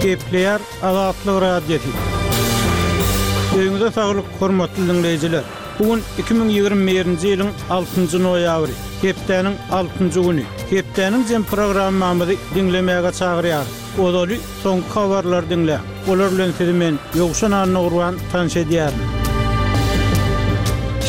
Gepleýär Azatlyk Radiosy. Öýüňize saglyk, hormatly diňleýjiler! Bu gün 2021-nji ýylyň altynjy noýabry, hepdäniň altynjy güni. Hepdäniň jem programmamyzy diňlemäge çagyrýarys. Ozaly soňky habarlary diňläň. Olar bilen sizi men, Ýowşan Annagurban, tanyş edýärin.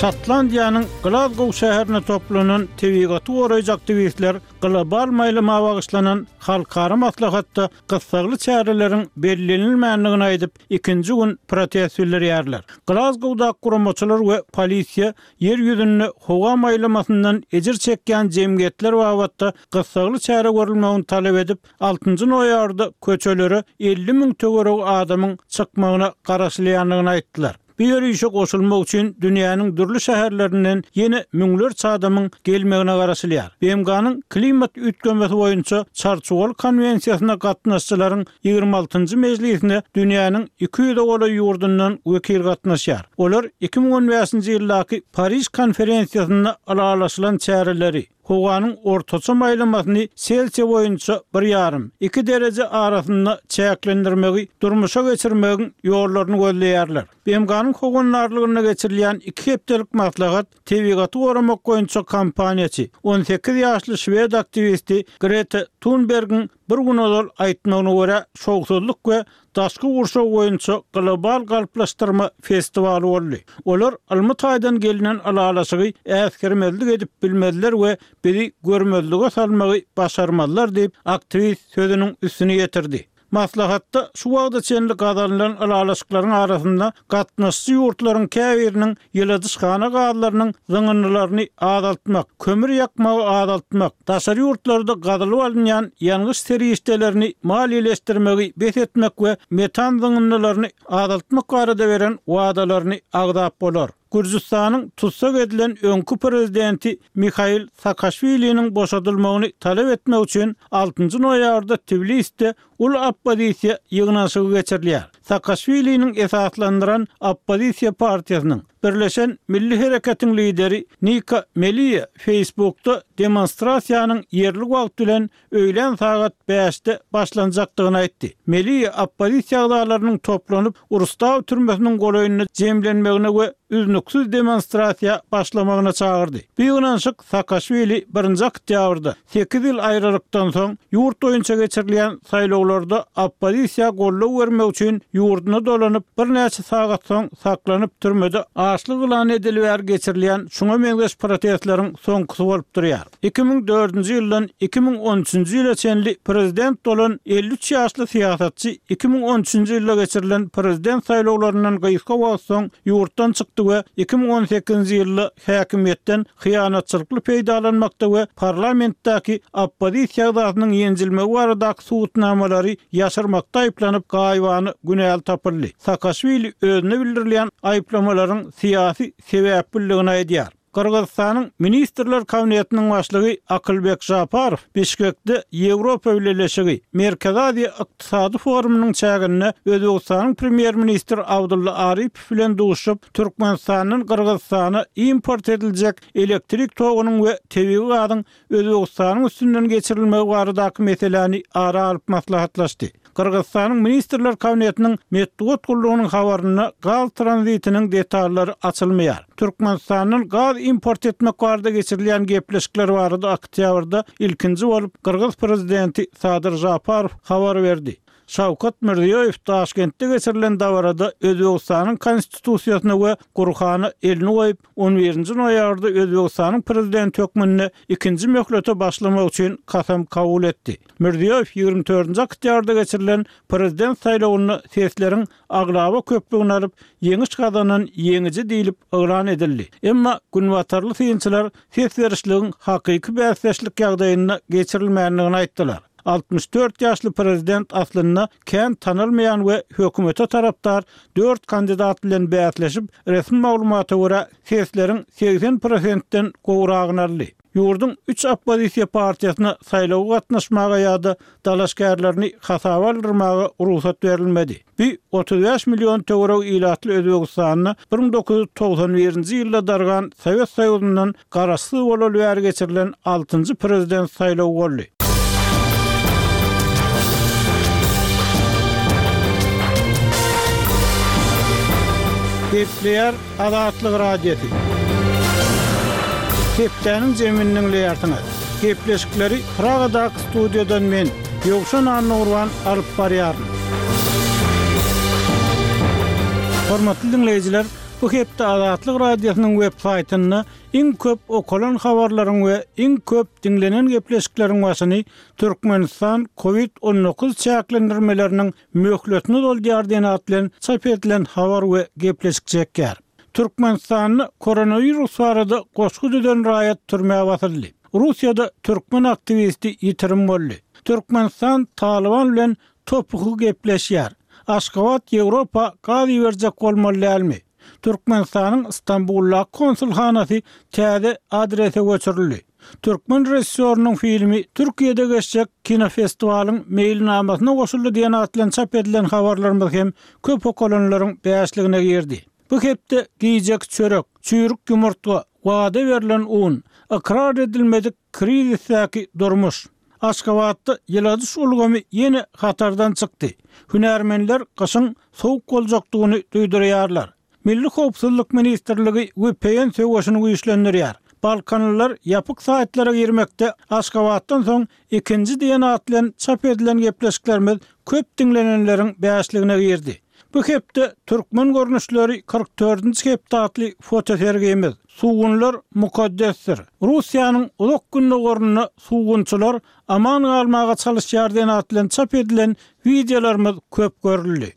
Şotlandiýanyň Glazgow şäherinde toplanan tebigaty goraýjy aktiwistler global maýlama bagyşlanan halkara maslahatda gyssagly çäreleriň bellenilmändigini aýdyp, ikinji gün protest bildirýärler. Glazgowdaky guramaçylar we polisiýa ýer ýüzünde howa maýlamasyndan ejir çekýän jemgyýetler babatda gyssagly çäre görülmegini talap edip, altynjy noýabrda köçelere 50 müň töweregi adamyň çykmagyna garaşylýandygyny aýtdylar. Bu ýörişe goşulmak üçin dünýäniň dürli şäherlerinden ýene müňlerçe adamyň gelmegine garaşylýar. BMG-niň Klimat üýtgemesi boýunça Çarçuwaly konwensiýasyna gatnaşyjylaryň ýigrimi altynjy mejlisine dünýäniň iki ýüze golaý ýurdundan wekil gatnaşýar. Olar 2015-nji ýyldaky Pariž konferensiýasynda ylalaşylan çäreleri, howanyň ortaça maýlamasyny Selsiýa boýunça bir ýarym, iki dereje arasynda çäklendirmegi durmuşa geçirmegiň ýollaryny gözleýärler. BMG-niň howandarlygynda geçirilýän iki hepdelik maslahat tebigaty goramak boýunça kampaniýaçy, 18 ýaşly şwed aktiwisti Greta Tunbergiň bir gün ozal aýtmagyna görä, şowsuzlyk we daşky gurşaw boýunça global galplaşdyrma festiwaly boldy. Olar ylmy taýdan gelnen ylalaşygy äsgermezlik edip bilmezler we bizi görmezlige salmagy başarmazlar diýip, aktiwist sözüniň üstüni ýetirdi. Maslahatda şu wagta çenli gazanylan ylalaşyklaryň arasynda gatnaşyjy ýurtlaryň käbiriniň ýyladyşhana gazlarynyň zyňyndylaryny azaltmak, kömür ýakmagy azaltmak, daşary ýurtlarda gazylyp alynýan ýangyç serişdelerini maliýeleşdirmegi bes etmek we metan zyňyndylaryny azaltmak barada beren wadalaryny agzap bolar. Gürjüstanyň tussag edilen öňki prezidenti Mihail Saakaşwiliniň boşadylmagyny talap etmek üçin altynjy noýabrda Tbiliside uly oppozisiýa ýygnanyşygy geçirilýär. Saakaşwiliniň esaslandyran oppozisiýa partiýasynyň, Birleşen Milli Hereketiň lideri Nika Meliýa Facebookda demonstrasiýanyň ýerli wagt bilen öýlän sagat bäşde başlanjakdygyny aýtdy. Meliýa oppozisiýa agzalarynyň toplanyp, Rustaw türmesiniň golaýynda jemlenmegine we üznüksiz demonstrasiýa başlamagyna çagyrdy. Bu ýygnanyşyk Saakaşwili birinji oktýabrda, sekiz ýyl aýralykdan soň, ýurt boýunça geçirilýän saýlawlarda oppozisiýa goldaw bermek üçin ýurduna dolanyp, birnäçe sagat soň saklanyp, türmede açlyk yglan edeli bäri geçirilýän şuňa meňzeş protestleriň soňkusy bolup durýar. 2004-nji ýyldan 2013-nji ýyla çenli prezident bolan 53 ýaşly syýasatçy 2013-nji ýylda geçirilen prezident saýlawlaryndan gysga wagt soň ýurtdan çykdy we 2018-nji ýylda häkimiýetden hyýanatçylykly peýdalanmakda we parlamentdäki oppozisiýa agzasynyň ýenjilmegi baradaky subutnamalary ýaşyrmakda aýyplanyp, gaýybana günäli tapyldy. Saakaşwili özüne bildirilýän aýyplamalaryň syýasy sebäpliligini aýdýar. Gyrgyzystanyň Ministrler Kabinetiniň başlygy Akylbek Žaparow Bişkekde Ýewropa Bileleşigi, Merkezi Aziýa ykdysady forumynyň çäginde Özbegistanyň Premýer-ministri Abdulla Aripow bilen duşuşyp, Türkmenistandan Gyrgyzystana import ediljek elektrik togunyň we tebigy gazyň Özbegistanyň üstünden geçirilmegi baradaky meseläni ara alyp maslahatlaşdy. Gyrgyzystanyň Ministrler Kabinetiniň metbugat gullugynyň habarynda gaz tranzitiniň detallary açylmaýar. Türkmenistandan gaz import etmek barada geçirilýän gepleşikler barada oktýabrda ilkinji bolup gyrgyz prezidenti Sadyr Žaparow habar berdi. Şawkat Mirziýoýew Daşkentde geçirilen dabarada Özbegistanyň Konstitusiýasyna we Gurhana elini goýup, on birinji noýabrda Özbegistanyň Prezidenti hökmünde ikinji möhlete başlamak üçin kasam kabul etdi. Mirziýoýew ýigrimi dördünji oktýabrda geçirilen Prezident saýlawynda sesleriň aglaba köplügini alyp, ýeňiş gazanan ýeňiji diýlip yglan edildi. Emma günbatarly synçylar ses berişligiň hakyky bäsdeşlik ýagdaýynda geçirilmändigini aýtdylar. 64 ýaşly prezident aslynda kän tanalmaýan we hökümete tarapdar dört kandidat bilen bäsleşip, resmi maglumata görä, sesleriň 80 prosentden gowragyny aldy. Ýurduň üç oppozisiýa partiýasyna saýlawa gatnaşmaga ýa-da dalaşgärlerini hasaba aldyrmaga rugsat berilmedi. Bu 35 million töweregi ilatly Özbegistanda 1991-nji ýylda dargan Sowet Soýuzyndan garaşsyz bolaly bäri geçirilen altynjy prezident saýlawy boldy. Gepleýär Azatlyk Radiosy. Hepdäniň jemini diňleýärsiňiz. Gepleşikleri Pragadaky studiýadan men, Ýowşan Annagurban alyp barýaryn. Hormatly diňleýjiler, bu hepde Azatlyk Radiosynyň web saýtynda iň köp okalan habarlaryň we iň köp diňlenen gepleşikleriň başyny Türkmenistan Covid 19 çäklendirmeleriniň möhletini uzoldýar diýen at bilen çap edilen habar we gepleşik çekýär. Türkmenistanda koronawirus barada goşgy düzen raýat türmä basyldy. Russiýada türkmen aktiwisti ýitirim boldy. Türkmenistan Talyban bilen topuky gepleşýär. Aşgabat Ýewropa gaz iberjek bolmaly dälmi? Türkmenistanyň Stambuldaky konsulhanasy täze adrese göçürildi. Türkmen režissýorynyň filmi Türkiýede geçjek kinofestiwalyň meýilnamasyna goşuldy diýen at bilen çap edilen habarlarymyz hem köp okalanlaryň bäşligine girdi. Bu hepde gijeki çörek, çüýrük ýumurtga, wada berlen un, ykrar edilmedik krizisdäki durmuş. Aşgabatda ýyladyş ulgamy ýene hatardan çykdy. Hünärmenler gyşyň sowuk boljakdygyny duýdurýarlar. Milli howpsuzlyk ministrligi vpn söweşini güýçlendirýär. Balkanlylar ýapyk saýtlara girmekde Aşgabatdan soň ikinji diýen at bilen çap edilen gepleşiklerimiz köp diňlenenleriň bäşligine girdi. Bu hepde Türkmen görnüşleri 44-nji hepde atly fotosergimiz Sugunlar mukaddesdir. Russiýanyň Uzak Gündogarynda sugunçylar aman galmaga çalyşýar diýen at bilen çap edilen wideolarymyz köp görüldi.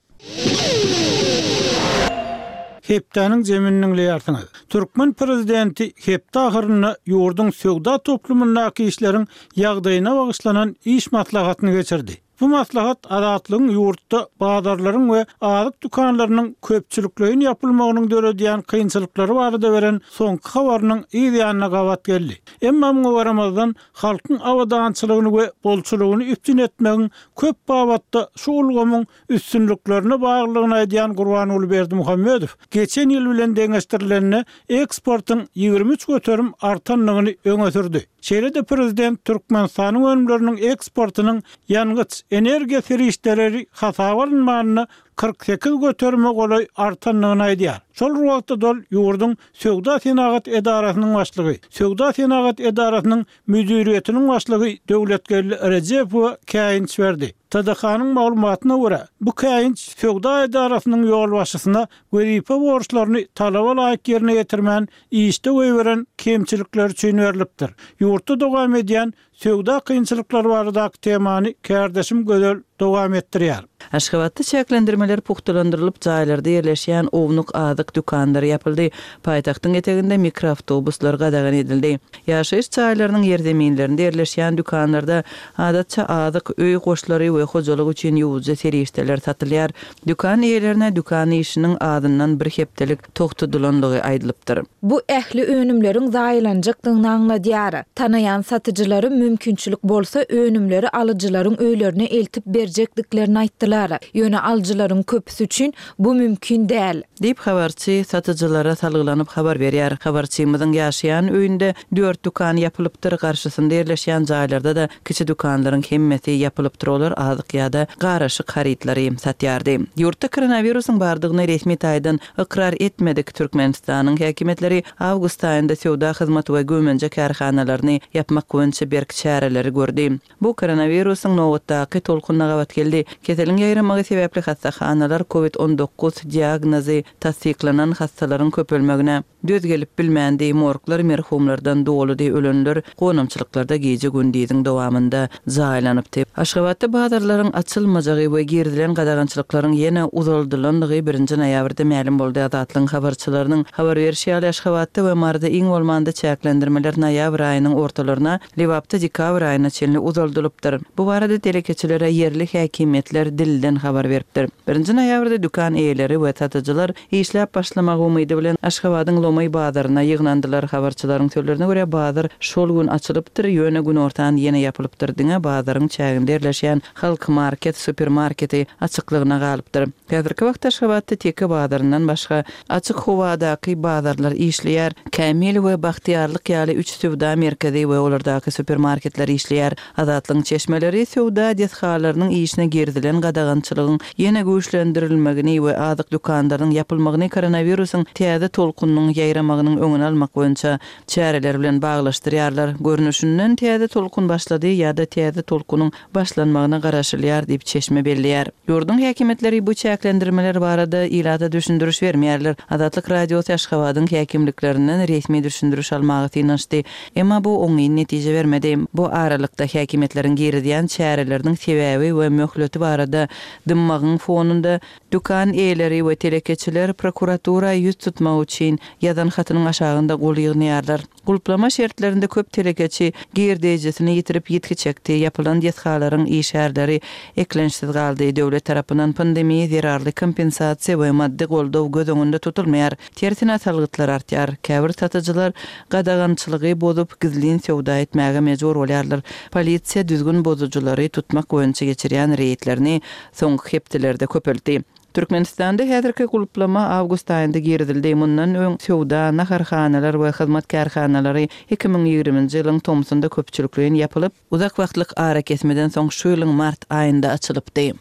Hepdäniň jemini diňleýärsiňiz. Türkmen prezidenti hepde ahyrynda ýurduň söwda toplumyndaky işleriň ýagdaýyna bagyşlanan iş maslahatyny geçirdi. Bu maslahat Azatlygyň ýurtda bazarlaryň we azyk dükanlarynyň köpçülikleýin ýapylmagynyň döredýän kynçylyklary barada beren soňky habarynyň yz ýanyna gabat geldi. Emma muňa garamazdan, halkyň abadançylygyny we bolçulygyny üpjün etmegiň köp babatda şu ulgamyň üstünliklerine baglydygyny aýdýan Gurbanguly Berdimuhamedow geçen ýyl bilen deňeşdirilende eksportyň 23% artandygyny öňe sürdi. Şeýle-de prezident Türkmenistanyň önümleriniň eksportynyň ýangyç, energiýa serişdeleri hasaba alynmanda 48 göterime golaý artandygyny aýdýar. Şol bir wagtda-da ol ýurduň Söwda-senagat edarasynyň başlygy, Söwda-senagat edarasynyň müdiriýetiniň başlygy Döwletgeldi Rejepowa käýinç berdi. TDH-nyň maglumatyna görä, bu käýinç söwda edarasynyň ýolbaşçysyna wezipe borçlaryny talaba laýyk ýerine ýetirmän işde goýberen kemçilikleri üçin berlipdir. Ýurtda dowam edýän söwda kynçylyklary baradaky temany kärdeşim Gözel dowam etdirýär. Aşgabatda çäklendirmeler pugtalandyrylyp, jaýlarda ýerleşýän ownuk azyk dükanlary ýapyldy. Paýtagtyň eteginde mikroawtobuslar gadagan edildi. Ýaşaýyş jaýlarynyň ýerzeminlerinde ýerleşýän dükanlarda adatça azyk, öý goşlary we hojalyk üçin ýuwujy serişdeler satylýar. Dükan eýelerine dükan işiniň azyndan bir hepdelik togtadylandygy aýdylypdyr. Bu ähli önümleriň zaýalanjakdygyny aňladýar. Tanaýan satyjylarym mümkinçilik bolsa önümleri alyjylaryň öýlerine eltip berjekdiklerini aýtdylar. Ýöne alyjylaryň köpüsi üçin bu mümkin däl. Diýip, habarçy satyjylara salgylanyp habar berýär. Habarçymyzyň ýaşaýan öýünde dört dükan ýapylypdyr, garşysynda ýerleşýän jaýlarda-da kiçi dükanlaryň hemmesi ýapylypdyr, olar azyk ýa-da garyşyk harytlary satýardy. Ýurtda koronawirusyň bardygyny resmi taýdan ykrar etmedik Türkmenistanyň häkimiýetleri awgust aýynda söwda, hyzmat we güýmenje kärhanalaryny ýapmak boýunça berk çäreleri gördi. Bu koronawirusyň nobatdaky tolkunyna gabat geldi. Keseliň ýaýramagy sebäpli hassahanalar covid 19 diagnozy tassyklanan hassalaryň köpelmegine döz gelip bilmändi, morglar merhumlardan doludy, ölenler gonamçylyklarda gije-gündiziň dowamynda jaýlanypdy. Aşgabatda bazarlaryň açylmajagy we girizilen gadagançylyklaryň ýene uzaldylandygy birinji noýabrda mälim boldy. Azatlygyň habarçylarynyň habar berşi ýaly, Aşgabatda we Maryda iň bolmanda çäklendirmeler noýabr aýynyň ortalaryna, Lebapda dekabr aýyna çenli uzaldylypdyr. Bu barada telekeçilere ýerli häkimiýetler dilden habar beripdir. Birinji noýabrda dükan eýeleri we satyjylar işläp başlamagy umydy bilen Aşgabadyň. Lomaý bazaryna ýygnandylar. Habarçylaryň sözlerine görä, bazar şol gün açylypdyr, ýöne günortan ýene ýapylypdyr. Diňe bazaryň çäginde ýerleşýän Halk market supermarketi açyklygyna galypdyr. Häzirki wagtda Aşgabatda Teke bazaryndan başga, açyk howadaky bazarlar işleýär. Kämil we Bagtyýarlyk ýaly üç söwda merkezi we olardaky supermarketler işleýär. Azatlygyň çeşmeleri söwda desgalarynyň işine girizilen gadagançylygyň ýene güýçlendirilmegini we azyk dükanlarynyň ýapylmagyny koronawirusyň täze tolkunynyň ýaýramagynyň öňüni almak boýunça çäreler bilen baglaşdyrýarlar. Görnüşinden, täze tolkun başlady ýa-da täze tolkunyň başlanmagyna garaşylýar diýip, çeşme belleýär. Ýurduň häkimiýetleri bu çäklendirmeler barada ilata düşündiriş bermeýärler. Azatlyk Radiosy Aşgabadyň häkimliklerinden resmi düşündiriş almaga synanyşdy. Emma bu oňyn netije bermedi. Bu aralykda, häkimiýetleriň girizýän çäreleriniň sebäbi we möhleti barada dymmagyň fonunda, dükan eýeleri we telekeçiler prokuratura ýüz tutmak üçin ýazan hatynyň aşagynda gol ýygnaýarlar. Gulplama şertlerinde köp telekeçi girdeýjisini ýitirip ýitgi çekdi, ýapylan desgalaryň işgärleri eklençsiz galdy, döwlet tarapyndan pandemiýa zerarly kompensasiýa we maddy goldaw göz öňünde tutulmaýar. Tersine salgytlar artýar. Käbir satyjylar gadagançylygy bozup, gizlin söwda etmäge mejbur bolýarlar. Polisiýa düzgün bozujylary tutmak boýunça geçirýän reýdlerini soňky hepdelerde köpeltdi. Türkmenistanda häzirki gulplama awgust aýynda girizildi. Mundan öň söwda, naharhanalar we hyzmat kärhanalary 2020-nji ýylyň tomsunda köpçülikleýin ýapylyp, Uzak wagtlyk arakesmeden soň şu ýylyň mart aýynda açylypdy.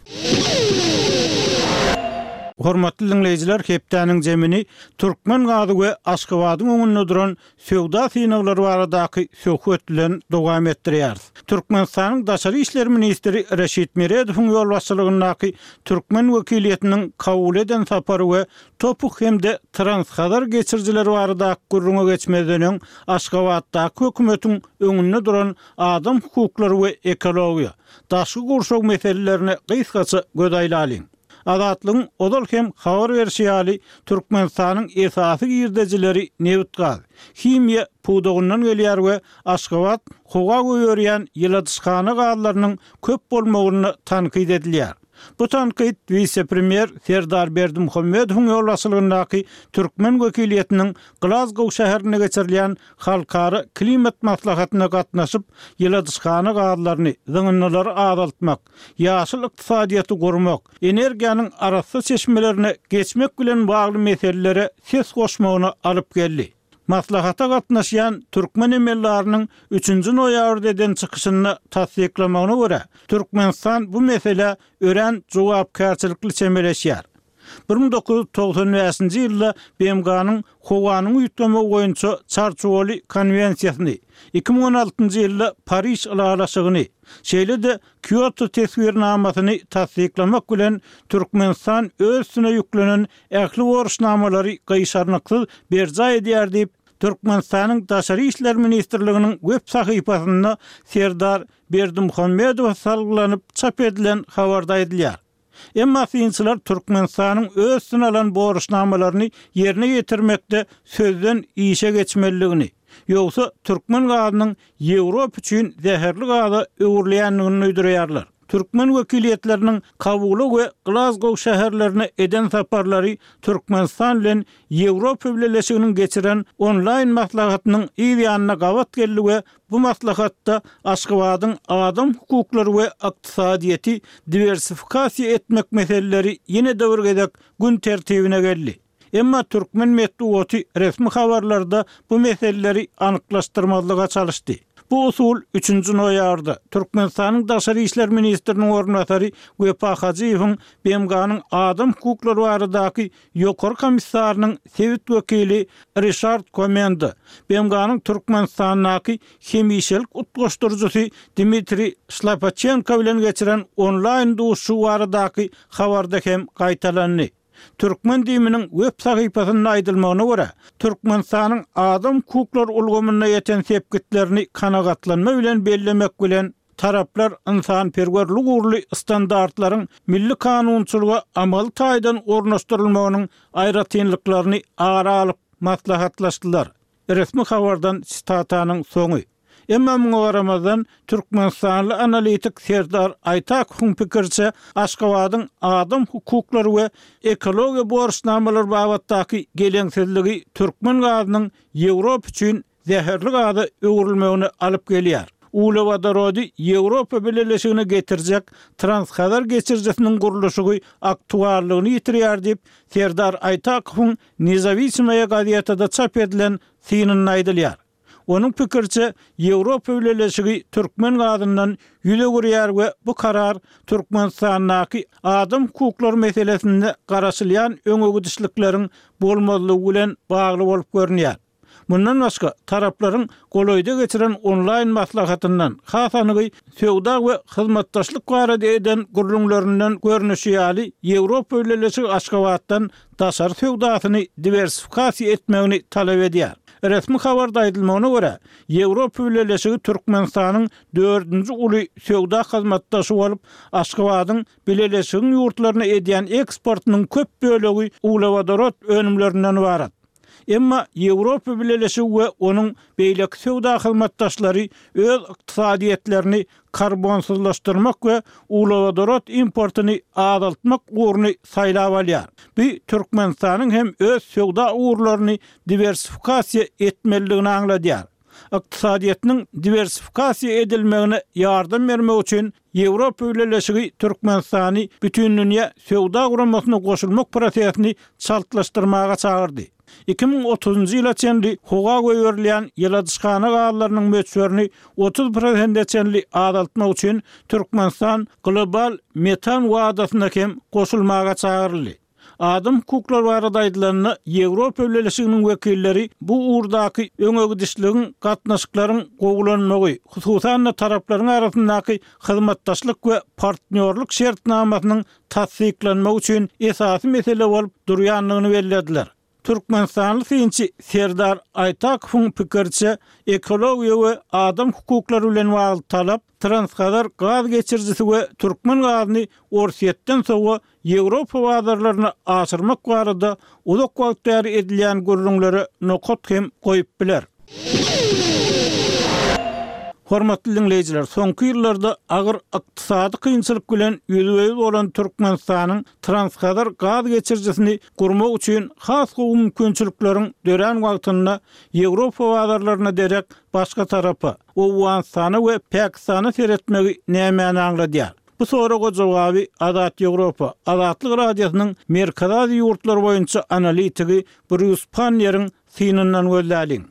Hormatly diňleýjiler hepdäniň jemini türkmen gazy we Aşgabadyň öňünde duran söwda synaglary baradaky söhbet bilen dowam etdirýäris. Türkmenistanyň Daşary işler ministri Reşit Meredowyň ýolbaşçylygyndaky türkmen wekiliýetiniň Kabula eden sapary we TOPH hem-de Transhazar geçirijileri baradaky gürrüňe geçmezden öň Aşgabatdaky hökümetiň öňünde duran adam hukuklary we ekologiýa, daşky gurşaw meselelerine gysgaça göz aýlalyň. Azatlygyň ozal hem habar berşi ýaly, Türkmenistanyň esasy girdejileri nebit-gaz, himiýa pudagyndan gelýär we Aşgabat howa goýberýän ýyladyşhana gazlarynyň köp bolmagynda tankyt edilýär. Bu tankyt wise-premýer Serdar Berdimuhamedowyň ýolbaşçylygyndaky türkmen wekiliýetiniň Glazgow şäherinde geçirilýän halkara klimat maslahatyna gatnaşyp, ýyladyşhana gazlaryny, zyňyndylary azaltmak, ýaşyl ykdysadyýeti gurmak, energiýanyň arassa çeşmelerine geçmek bilen bagly meselelere ses goşmagyna alyp geldi. Maslahata gatnaşýan türkmen emeldarynyň üçünji noýabrda eden çykyşynda tassyklamagyna görä, Türkmenistan bu meselä örän jogapkärçilikli çemeleşýär. 1995-nji ýylda BMG-niň Howanyň üýtgemegi boýunça Çarçuwaly konwensiýasyny, 2016-njy ýylda Pariž ylalaşygyny, şeýle-de Kýoto teswirnamasyny tassyklamak bilen Türkmenistan öz üstüne ýüklenen ähli borçnamalary gyşarnyksyz berjaý edýär diýip, Türkmenistanyň Daşary işler ministrliginiň web sahypasynda Serdar Berdimuhamedowa salgylanyp çap edilen habarda aýdylýar. Emma synçylar Türkmenistanyň öz üstüne alan borçnamalaryny ýerine ýetirmekde sözden işe geçmelidigini, ýogsa türkmen gazynyň Ýewropa üçin zäherli gaza öwrülýändigini duýdurýarlar. Türkmen wekiliýetleriniň Kabula we Glazgow şäherlerine eden saparlary Türkmenistan bilen Ýewropa Bileleşiginiň geçiren onlaýn maslahatynyň yz ýanyna gabat geldi we bu maslahatda Aşgabadyň adam hukuklary we ykdysadyýeti diwersifikasiýa etmek meseleleri ýene-de bir gezek gün tertibine geldi. Emma türkmen metbugaty resmi habarlarda bu meseleleri anyklaşdyrmazlyga çalyşdy. Bu usul üçünji noýabrda Türkmenistanyň daşary işler ministriniň orunbasary Wepa Hajyýewiň BMG-niň adam hukuklary baradaky Ýokary komissarynyň sebit wekili Rişard Komenda, BMG-niň Türkmenistandaky hemişelik utgaşdyryjysy Dmitriý Şlapaçenko bilen geçiren onlaýn duşuşygy baradaky habarda hem gaýtalandy. Türkmen DIM-niň web sahypasynda aýdylmagyna görä, Türkmenistanyň adam hukuklary ulgamynda ýeten sepgitlerini kanagatlanma bilen bellemek bilen, taraplar ynsanperwerlik ugurly standartlaryň milli kanunçylyga amaly taýdan ornaşdyrylmagynyň aýratynlyklaryny ara alyp maslahatlaşdylar. Resmi habardan sitatanyň soňy. Emma muňa garamazdan, türkmenistanly analitik Serdar Aýtakowyň pikiriçe, Aşgabadyň adam hukuklary we ekologiýa borçnamalary babatdaky geleňsizligi türkmen gazynyň Ýewropa üçin zäherli gaza öwrülmegine alyp gelýär. Uglewodorody Ýewropa Bileleşigine getirjek Transhazar geçirijisiniň gurluşygy aktuallygyny ýitirýär diýip, Serdar Aýtakowyň Nezawisimoýa gazetada çap edilen synynda aýdylýar. Onuň pikiriçe, Ýewropa Bileleşigi türkmen gazyndan ýüz öwürýär we bu karar Türkmenistandaky adam hukuklary meselesinde garaşylýan öňegidişlikleriň bolmazlygy bilen bagly bolup görünýär. Mundan başga, taraplaryň golaýda geçiren onlaýn maslahatyndan, has anygy, söwda we hyzmatdaşlyk barada eden gürrüňlerinden görnüşi ýaly, Ýewropa Bileleşigi Aşgabatdan daşary söwdasyny diwersifikasiýa etmegini talap edýär. Resmi habarda aýdylmagyna görä, Ýewropa Bileleşigi Türkmenistanyň dördünji uly söwda hyzmatdaşy bolup, Aşgabadyň Bileleşigiň ýurtlaryna edýän eksportynyň köp bölegi uglewodorod önümlerinden ybarat. Emma Ýewropa Bileleşigi we onuň beýleki söwda hyzmatdaşlary öz ykdysadyýetlerini karbonsyzlaşdyrmak we uglewodorod importyny azaltmak ugruny saýlap alýar. Bu Türkmenistanyň hem öz söwda ugurlaryny diwersifikasiýa etmelidigini aňladýar. Ykdysadyýetiniň diwersifikasiýa edilmegine ýardam bermek üçin Ýewropa Bileleşigi Türkmenistany Bütindünýä Söwda Guramasyna goşulmak prosesini çaltlaşdyrmaga çagyrdy. 2030-njy ýyla çenli howa goýberilýän ýyladyşhana gazlarynyň möçberini 30 prosente çenli azaltmak üçin Türkmenistan global metan wadasyna hem goşulmaga çagyryldy. Adam hukuklary barada aýdylanda, Ýewropa Bileleşiginiň wekilleri bu ugurdaky öňegidişligiň gatnaşyklaryň gowulanmagy, hususan-da, taraplaryň arasyndaky hyzmatdaşlyk we partnýorlyk şertnamasynyň tassyklanmagy üçin esasy mesele bolup durýandygyny bellediler. Türkmenistanly synçy Serdar Aýtakowyň pikiriçe, ekologiýa we adam hukuklary bilen bagly talap Transhazar gaz geçirijisi we türkmen gazyny Orsýetden sowa Ýewropa bazarlaryna aşyrmak barada uzak wagt bäri edilýän gürrüňlere nokat hem goýup biler. Hormatly diňleýjiler, soňky ýyllarda agyr ykdysady kynçylyk bilen ýüzbe-ýüz bolan Türkmenistanyň Transhazar gaz geçirijisini gurmak üçin has gowy mümkinçilikleriň dörän wagtynda Ýewropa bazarlaryna derek başga tarapa, Owganystana we Pakistana seretmegi nämäni aňladýar? Bu soraga jogaby Azat Ýewropa, Azatlyk Radiosynyň Merkezi Aziýa ýurtlary boýunça analitigi Brýus Panneriň synyndan gözläliň.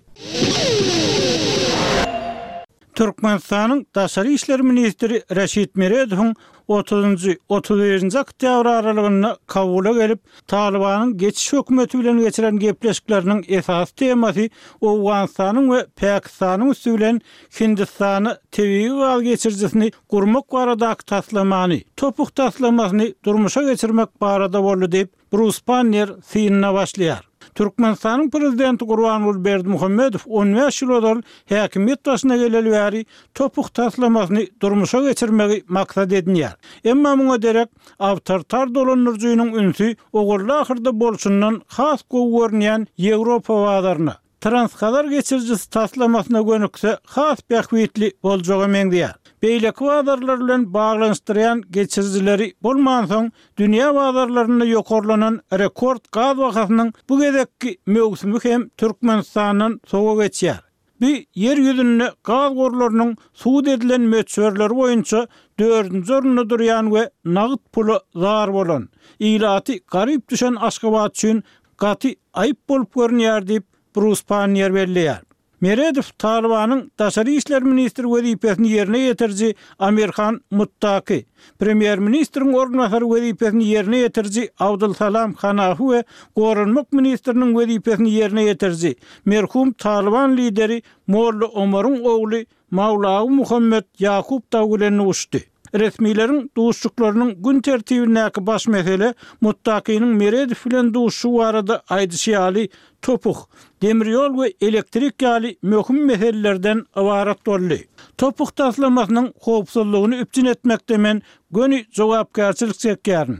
Türkmenistanyň Daşary işler ministri Reşit Meredowyň otuzynjy, 31-nji oktýabr aralygynda Kabula gelip, Talybanyň geçiş hökümeti bilen geçiren gepleşikleriniň esasy temasy Owganystanyň we Pakistanyň üsti bilen Hindistana tebigy gaz geçirijisini gurmak baradaky taslamany, TOPH taslamasyny durmuşa geçirmek barada boldy diýip, Brus Pannier synyna başlaýar. Türkmenistanyň Prezidenti Gurbanguly Berdimuhamedow on bäş ýyl ozal häkimiýet başyna geleli bäri TOPH taslamasyny durmuşa geçirmegi maksat edinýär. Emma muňa derek awtoritar dolandyryjynyň ünsi ogurly-ahyrda bolşundan has gowy görünýän Ýewropa bazaryna, Transhazar geçirijisi taslamasyna gönükse has bähbitli boljaga meňzeýär. Beýleki bazarlar bilen baglanyşdyrýan geçirijileri bolmansoň, dünýä bazarlarynda ýokarlanan rekord gaz bahasynyň bu gezekki möwsümi hem Türkmenistandan sowa geçýär. Bu Ýer ýüzünde gaz gorlarynyň subut edilen möçberleri boýunça dördünji orunda durýan we nagt pula zar bolan, ilaty garyp düşen Aşgabat üçin gaty aýyp bolup görünýär diýip, Brus Panniýer belleýär. Meredow Talybanyň daşary işler ministri wezipesini ýerine ýetiriji Amir Han Muttaki, premýer-ministriň orunbasary wezipesini ýerine ýetiriji Abdul Salam Hanafi we goranmak ministriniň wezipesini ýerine ýetiriji, merhum Talyban lideri Molla Omaryň ogly Mawlawy Muhammet Ýakup dagy bilen duşdy. Resmileriň duşuşyklarynyň gün tertibindäki baş mesele Muttakiniň Meredow bilen duşuşygy barada aýdyşy ýaly TOPH, demir ýol we elektrik ýaly möhüm meselelerden ybarat boldy. TOPH taslamasynyň howpsuzlygyny üpjün etmekde men göni jogapkärçilik çekýärin.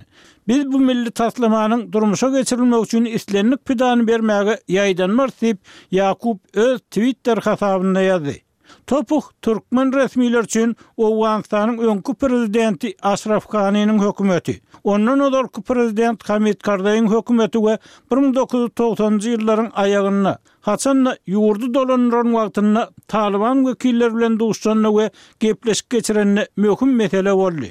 Biz bu milli taslamanyň durmuşa geçirilmegi üçin islendik pidany bermäge ýaýdanmarys diýip, Ýakup öz Twitter hasabynda ýazdy. Topuh türkmen resmileri üçin Owganystanyň öňki prezidenti Aşraf Ganiniň hökümeti, ondan ozalky prezident Hamid Karzaýyň hökümeti we 1990-njy ýyllaryň aýagynda, haçan-da ýurdy dolandyran wagtynda Talyban wekilleri bilen duşanda we gepleşik geçirende möhüm mesele boldy.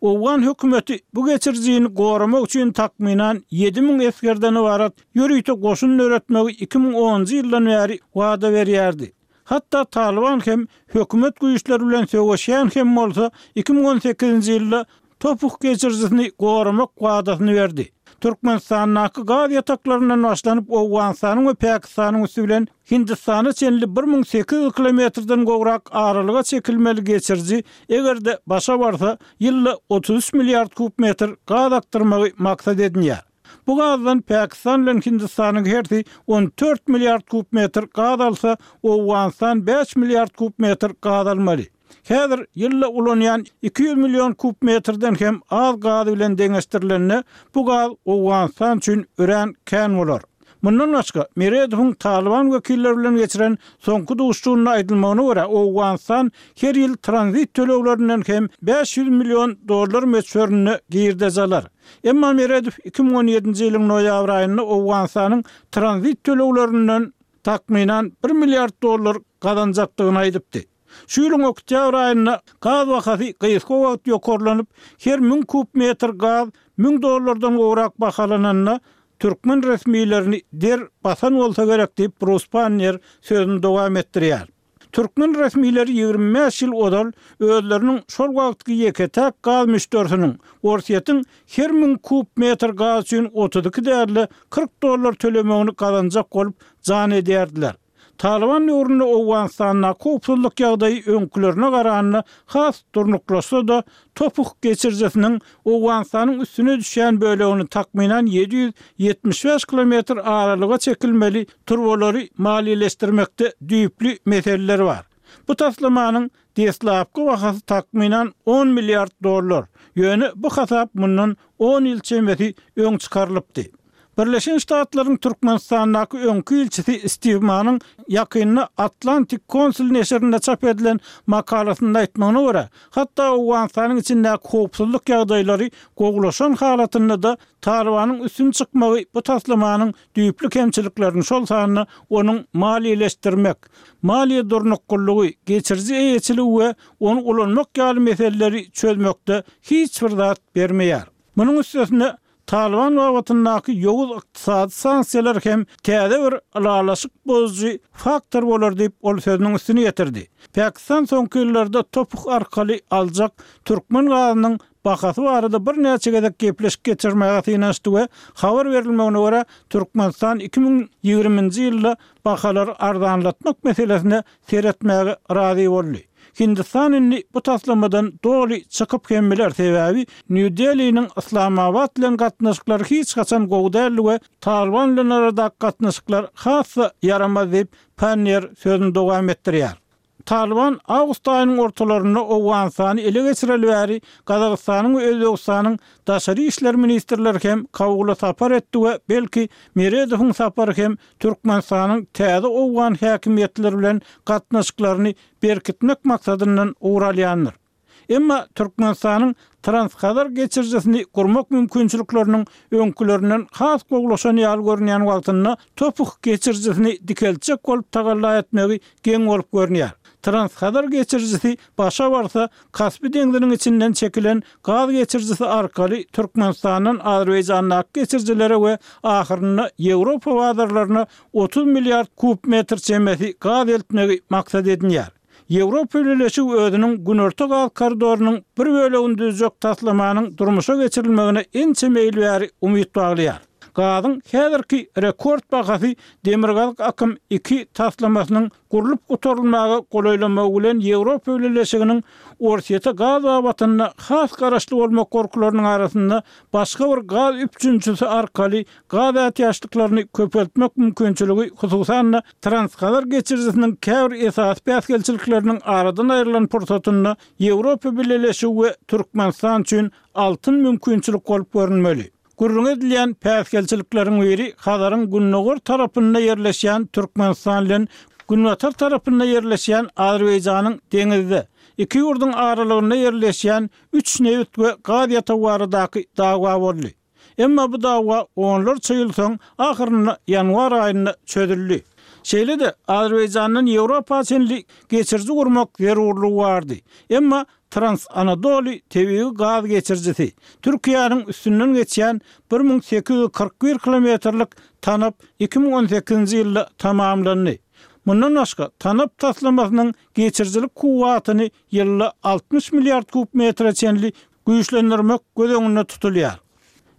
Owgan hökümeti bu geçirijini goramak üçin takmynan 7000 esgerden ybarat ýörite goşun döretmegi 2010-njy ýyldan bäri wada berýärdi. Hatda Talyban hem hökümet güýçleri bilen söweşýän hem bolsa, 2018-nji ýylda Topuh geçirijisini goramak wadasyny berdi. Türkmenistandaky gaz ýataklaryndan başlanyp Owganystanyň we Pakistanyň üsti bilen Hindistana çenli 1800 kilometrden gowrak aralyga çekilmeli geçiriji, eger-de başa barsa, ýylda 33 milliard kub metr gaz akdyrmagy maksat edinýär. Bu gazdan Pakistan bilen Hindistanyň hersi 14 milliard kub metr gaz alsa, Owganystan bäş milliard kub metr gaz almaly. Häzir ýylda ulanýan 200 million kub metrden hem az gaz bilen deňeşdirilende, bu gaz Owganystan üçin örän kän bolar. Mundan başga, Meredowyň Talyban wekilleri bilen geçiren soňky duşuşygynda aýdylmagyna görä, Owganystan her ýyl tranzit töleglerinden hem 500 million dollar möçberinde girdeji alar. Emma Meredow 2017-nji ýylyň noýabr aýynda Owganystanyň tranzit töleglerinden takmynan bir milliard dollar gazanjakdygyny aýdypdy. Şu ýylyň oktýabr aýynda gaz bahasy gysga wagt ýokarlanyp, her müň kub metr gaz müň dollardan gowrak bahalananda, türkmen resmilerini der basan bolsa gerek diýip, Brus Pannier sözüni dowam etdirýär. Türkmen resmileri 25 ýyl ozal özleriniň şol wagtky ýeke-täk gaz müşderisiniň, Orsýetiň her müň kub metr gaz üçin 32 däl-de, 40 dollar tölemegini gazanjak bolup jan edýärdiler. Talyban döwründe Owganystandaky howpsuzlyk ýagdaýy öňkülerine garanda has durnuklaşsa-da, Topuh geçirijisiniň Owganystanyň üstüne düşýän bölegini takmynan 775 kilometr aralyga çekilmeli turbalary maliýeleşdirmekde düýpli meseleler bar. Bu taslamanyň deslapky bahasy takmynan on milliard dollar, ýöne bu hasap mundan on ýyl çemesi öň çykarylypdy. Birleşen Ştatlaryň Türkmenistandaky öňki ilçisi Stiw Manyň ýakynda Atlantic Council neşirinde çap edilen makalasynda aýtmagyna görä, hatda Owganystanyň içindäki howpsuzlyk ýagdaýlary gowulaşan halatynda-da Talybanyň üstün çykmagy bu taslamanyň düýpli kemçiliklerini, şol sanda onuň maliýeleşdirmek, maliýe durnuklylygy, geçiriji eýeçiligi we ony ulanmak ýaly meseleleri çözmekde hiç bir zat bermeýär. Munuň üstesine, Talyban babatyndaky ýowuz ykdysady sanksiýalar hem täze bir ylalaşyk bozujy faktor bolar diýip, ol sözüniň üstüni ýetirdi. Pakistan soňky ýyllarda Topuh arkaly aljak türkmen gazynyň bahasy barada birnäçe gezek gepleşik geçirmäge synanyşdy we habar berilmegine görä, Türkmenistan 2020-nji ýylda bahalary arzanlatmak meselesine seretmäge razy boldy. Hindistan indi bu taslamadan doly çykyp hem biler, sebäbi Nýu-Deliniň Yslamabat bilen gatnaşyklary hiç haçan gowy däldi we Talyban bilen aradaky gatnaşyklar has-da ýaramaz diýip, Panniýer sözüni dowam etdirýär. Talyban awgust aýynyň ortalarynda Owganystany ele geçireli bäri Gazagystanyň we Özbegistanyň daşary işler ministrleri hem Kabula sapar etdi we belki Meredowyň sapary hem Türkmenistanyň täze owgan häkimiýetleri bilen gatnaşyklaryny berkitmek maksadyndan ugur alýandyr. Emma Türkmenistanyň Transhazar geçirijisini gurmak mümkinçilikleriniň öňkülerinden has gowulaşan ýaly görünýän wagtynda Topuh geçirijisini dikeltjek bolup tagalla etmegi geň bolup görünýär. Transhazar geçirijisi başa barsa, Kaspi deňziniň içinden çekilen gaz geçirijisi arkaly Türkmenistandan Azerbaýjandaky geçirijilere we ahyrynda Ýewropa bazarlaryna 30 milliard kub metr çemesi gaz eltmegi maksat edinýär. Ýewropa Bileleşigi özüniň Günorta gaz koridorynyň bir bölegini düzjek taslamanyň durmuşa geçirilmegine ençeme ýyl bäri umyt baglaýar. Gazyň häzirki rekord bahasy Demirgazyk akym iki taslamasynyň gurlup gutarylmaga golaýlamagy bilen Ýewropa Bileleşiginiň Orsýete gaz babatynda has garaşly bolmak gorkularynyň arasynda başga bir gaz üpjünçisi arkaly gaz ätiýaçlyklaryny köpeltmek mümkinçiligi, hususan-da, Transhazar geçirijisiniň käbir esasy päsgelçilikleriniň aradan aýrylan pursatynda Ýewropa Bileleşigi we Türkmenistan üçin altyn mümkinçilik bolup görünmeli. Gürrüňi edilýän päsgelçilikleriň biri Hazaryň gündogar tarapynda ýerleşýän Türkmenistan bilen. günbatar tarapynda ýerleşýän Azerbaýjanyň deňizde, iki ýurduň aralygynda ýerleşýän üç nebit we gaz ýatagy baradaky dawa boldy. Emma bu dawa onlarça ýyl soň, ahyrynda ýanwar aýynda çözüldi. Şeýle-de, Azerbaýjandan Ýewropa çenli geçiriji gurmak zerurlygy bardy. Emma Trans-Anadoly tebigy gaz geçirijisi, Türkiýäniň üstünden geçýän 1841 kilometrlik tanap 2018-nji ýylda tamamlandy. Mundan başga, tanap taslamasynyň geçirijilik kuwwatyny ýylda 60 milliard kub metre çenli güýçlendirmek göz öňünde tutulýar.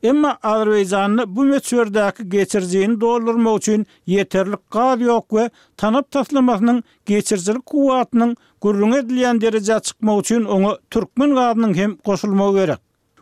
Emma Azerbaýjanda bu möçberdäki geçirijini doldurmak üçin ýeterlik gaz ýok we tanap taslamasynyň geçirijilik kuwwatynyň gürrüňi edilýän derejä çykmagy üçin oňa türkmen gazynyň hem goşulmagy gerek.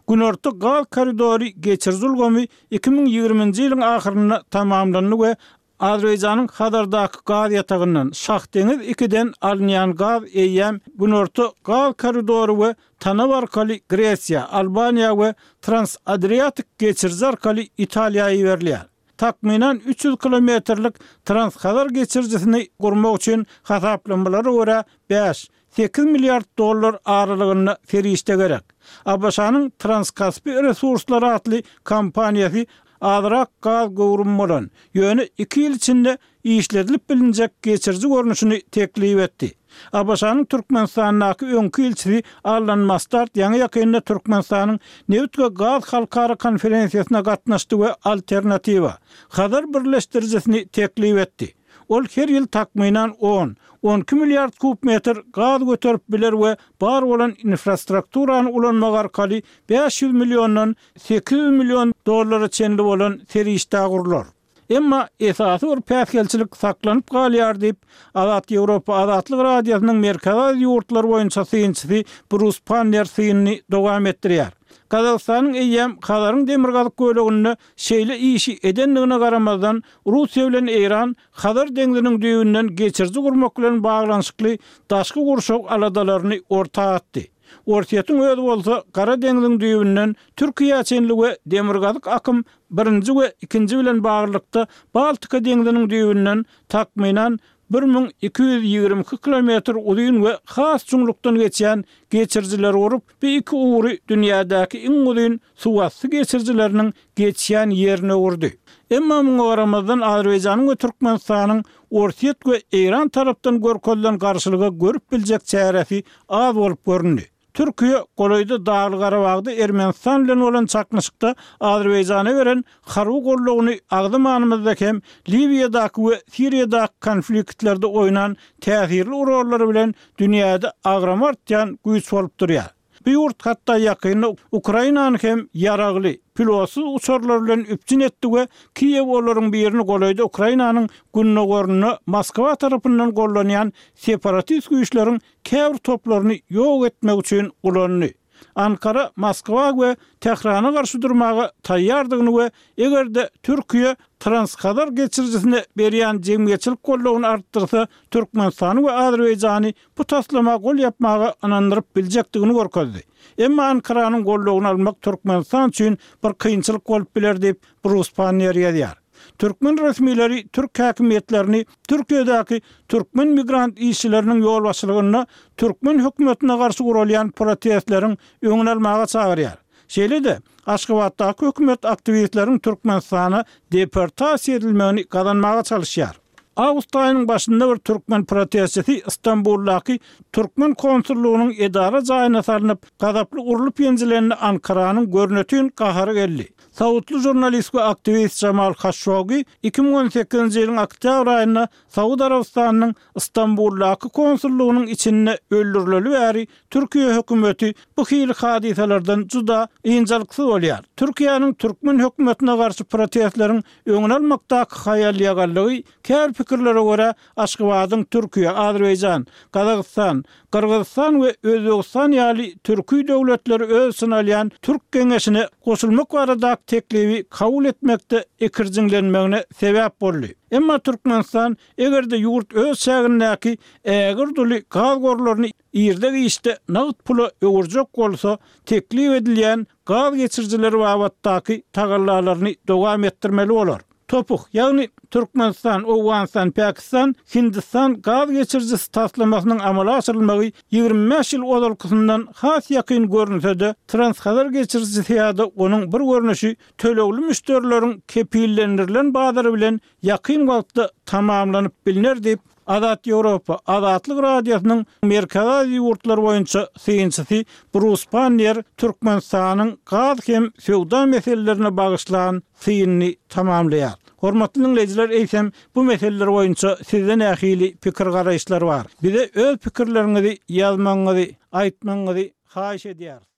Günorta gaz koridory geçiriji ulgamy 2020-nji ýylyň ahyrynda tamamlandy we Azerbaýjanyň Hazardaky gaz ýatagyndan, Şahdeňiz II-den alynýan gaz eýýäm Günorta gaz koridory we TANAP arkaly Gresiýa, Albaniýa we Trans-Adriatik geçiriji arkaly Italiýa iberilýär. Takmynan 300 kilometrlik Trans-Hazar geçirijisini gurmak üçin hasaplamalara görä bäş, 8 milliard dollar aralygynda serişde gerek. ABŞ-nyň Transkaspi resurslary atly kompaniýasy azrak gaz göwrümi bolan, ýöne iki ýyl içinde işledilip bilinjek geçiriji görnüşini teklip etdi. ABŞ-nyň Türkmenistandaky öňki ilçisi Allan Mastard ýaňy-ýakynda Türkmenistanyň Nebit we gaz halkara konferensiýasyna gatnaşdy we alternatiwa, Hazar birleşdirijisini teklip etdi. Ol her ýyl takmynan on, 12 milliard kub metr gaz göterip biler we bar bolan infrastrukturany ulanmak arkaly 500 milliondan 800 million dollara çenli bolan serişdä gurlar. Emma esasy bir päsgelçilik saklanyp galýar diýip, Azat Ýewropa Azatlyk Radiosynyň Merkezi Aziýa ýurtlary boýunça synçysy Brus Pannier synyny dowam etdirýär. Gazagystanyň eýýäm Hazaryň demirgazyk böleginde şeýle işi edendigine garamazdan, Russiýa bilen Eýran Hazar deňziniň düýbünden geçiriji gurmak bilen baglanyşykly daşky gurşaw aladalaryny orta atdy. Orsýetiň özi bolsa Gara deňziň düýbünden Türkiýä çenli we Demirgazyk akym birinji we ikinji bilen baglylykda Baltika deňziniň düýbünden takmynan 1222 kilometr uzyn we has çuňlukdan geçýän geçirijileri gurup, bu iki ugry dünýädäki iň uzyn suwasty geçirijileriniň geçýän ýerine öwürdi. Emma muňa garamazdan Azerbaýjanyň we Türkmenistanyň Orsýet we Eýran tarapdan görkezilen garşylyga görüp biljek çäresi az bolup göründi. Türkiýe golaýda Dagly-Garabagda Ermenistan bilen bolan çaknyşykda Azerbaýjana beren harby goldawyny agzamanymyzda hem Liwiýadaky we Siriýadaky konfliktlerde oýnan täsirli rollary bilen dünýäde agramy artýan güýç bolup durýar. Bu ýurt hatda ýakynda Ukrainany hem ýaragly, pilotsyz uçarlar bilen üpjün etdi we Kiýew olaryň birini golaýda Ukrainanyň gündogarynda Moskwa tarapyndan gollanýan separatist güýçleriň käbir toplaryny ýok etmek üçin ulandy. Ankara Moskwa we Tährana garşy durmaga taýýardygyny we eger-de Türkiýe Transhazar geçirijisine berýän jemgyýetçilik goldawyny artdyrsa, Türkmenistany we Azerbaýjany bu taslama gol ýapmaga ynandyryp biljekdigini görkezdi. Emma Ankaranyň goldawyny almak Türkmenistan üçin bir kynçylyk bolup biler diýip, Brus Panniýer ýazýar. Türkmen resmileri türk häkimiýetlerini Türkiýedäki türkmen migrant işçileriniň ýolbaşçylygynda türkmen hökümetine garşy guralýan protestleriň öňüni almaga çagyrýar. Şeýle-de, Aşgabatdaky hökümet aktiwistleriň Türkmenistana deportasiýa edilmegini gazanmaga çalyşýar. Awgust aýynyň başynda bir türkmen protestçisi Stambuldaky türkmen konsullygynyň edara jaýyna salnyp, gazaply urlup-ýenjilende Ankaranyň görnetin gahary geldi. Saudly žurnalist we aktiwist Jamal Haşogi 2018-nji ýylyň oktýabr aýynda Saud Arabystanynyň Stambuldaky konsullygynyň içinde öldürileli bäri Türkiýe hökümeti bu hili hadysalardan juda ynjalyksyz bolýar. Türkiýäniň türkmen hökümetine garşy protestleriň öňüni almakdaky haýal-ýagallygy käbir pikirlere görä Aşgabadyň Türkiýe, Azerbaýjan, Gazagystan, Gyrgyzystan we Özbegistan ýaly türki döwletleri öz içine alýan Türk geňeşine goşulmak baradaky teklibi kabul etmekde ikirjiňlenmegine sebäp boldy. Emma Türkmenistan eger-de ýurt öz çägindäki ägirt uly gaz gorlaryny irde-giçde nagt pula öwürjek bolsa, teklip edilýän gaz geçirijileri babatdaky tagallalaryny dowam etdirmeli bolar. TOPH, ýagny Türkmenistan, Owganystan, Pakistan, Hindistan gaz geçirijisi taslamasynyň amala aşyrylmagy 25 ýyl ozalkysyndan has ýakyn görünse-de, Transhazar geçirijisi ýa-da onuň bir görnüşi tölegli müşderileriň kepillendirilen bazary bilen ýakyn wagtda tamamlanyp bilner diýip, Azat Ýewropa, Azatlyk Radiosynyň Merkezi Aziýa ýurtlary boýunça synçysy Brus Panniýer Türkmenistanyň gaz hem söwda meselelerine bagyşlan synyny tamamlaýar. Hormatly diňleýjiler, eýsem, bu meseleler boýunça sizde nähili pikir-garaýyşlar bar? Bize öz pikirleriňizi ýazmagyňyzy, aýtmagyňyzy haýyş edýäris.